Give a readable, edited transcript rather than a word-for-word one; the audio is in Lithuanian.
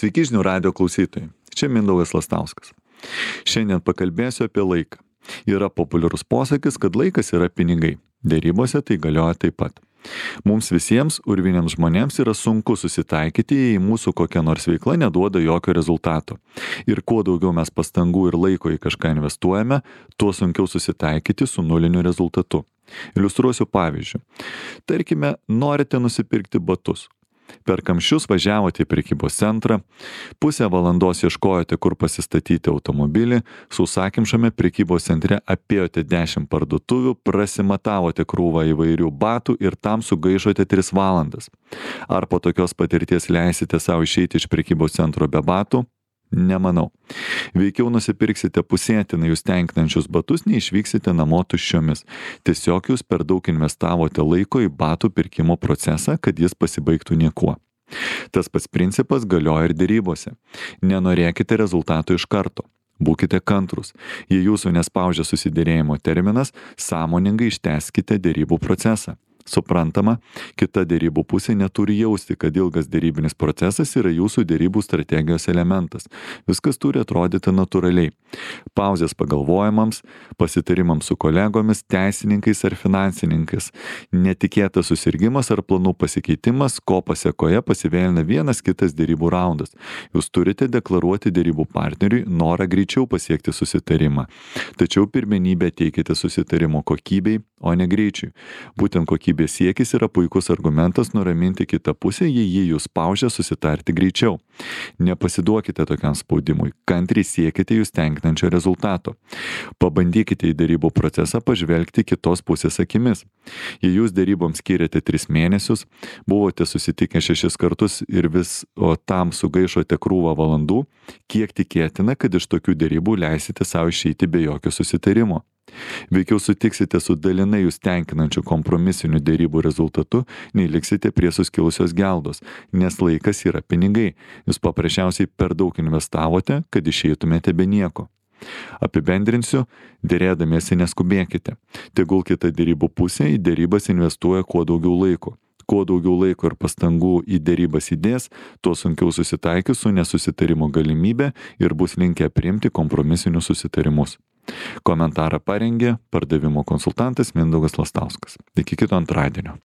Sveiki žinių radijo klausytojai, čia Mindaugas Lastauskas. Šiandien pakalbėsiu apie laiką. Yra populiarus posakis, kad laikas yra pinigai. Dėrybose tai galioja taip pat. Mums visiems, urviniams žmonėms, yra sunku susitaikyti, jei mūsų kokia nors veikla neduoda jokio rezultato. Ir kuo daugiau mes pastangų ir laiko į kažką investuojame, tuo sunkiau susitaikyti su nuliniu rezultatu. Iliustruosiu pavyzdžiu. Tarkime, norite nusipirkti batus. Per kamščius važiavote į prekybos centrą, pusę valandos ieškojote, kur pasistatyti automobilį, sausakimšame prekybos centre apėjote 10 parduotuvių, prasimatavote krūvą įvairių batų ir tam sugaišote 3 valandas. Ar po tokios patirties leisite savo išeiti iš prekybos centro be batų? Nemanau. Veikiau nusipirksite pusėtinai jūs tenkinančius batus, neišvyksite namo tuščiomis. Tiesiog jūs per daug investavote laiko į batų pirkimo procesą, kad jis pasibaigtų niekuo. Tas pats principas galioja ir dėrybose. Nenorėkite rezultatų iš karto. Būkite kantrus. Jei jūsų nespaudžia susidėrėjimo terminas, sąmoningai ištęskite dėrybų procesą. Suprantama, kita dėrybų pusė neturi jausti, kad ilgas dėrybinis procesas yra jūsų dėrybų strategijos elementas. Viskas turi atrodyti natūraliai. Pauzės pagalvojimams, pasitarimams su kolegomis, teisininkais ar finansininkais. Netikėtas susirgimas ar planų pasikeitimas, ko pasėkoje pasivėlina vienas kitas dėrybų raundas. Jūs turite deklaruoti dėrybų partneriui norą greičiau pasiekti susitarimą. Tačiau pirmenybę teikite susitarimo kokybei, o ne greičiui. Būtent kokybės siekis yra puikus argumentas nuraminti kitą pusę, jei jį jūs spaudžia susitarti greičiau. Nepasiduokite tokiam spaudimui, kantriai siekite jūs tenkinančio rezultato. Pabandykite į dėrybų procesą pažvelgti kitos pusės akimis. Jei jūs dėryboms skiriate 3 mėnesius, buvote susitikę 6 kartus ir tam sugaišote krūvą valandų, kiek tikėtina, kad iš tokių dėrybų leisite savo išeiti be jokio susitarimo. Veikiau sutiksite su dalinai jūs tenkinančiu kompromisiniu dėrybų rezultatu, nei liksite prie suskilusios geldos, nes laikas yra pinigai. Jūs paprasčiausiai per daug investavote, kad išeitumėte be nieko. Apibendrinsiu, dėrėdamiesi neskubėkite. Tegul kita dėrybų pusė į dėrybas investuoja kuo daugiau laiko. Kuo daugiau laiko ir pastangų į dėrybas įdės, tuo sunkiau susitaikys su nesusitarimo galimybė ir bus linkę priimti kompromisinius susitarimus. Komentarą parengė pardavimo konsultantas Mindaugas Lastauskas. Iki kito antradienio.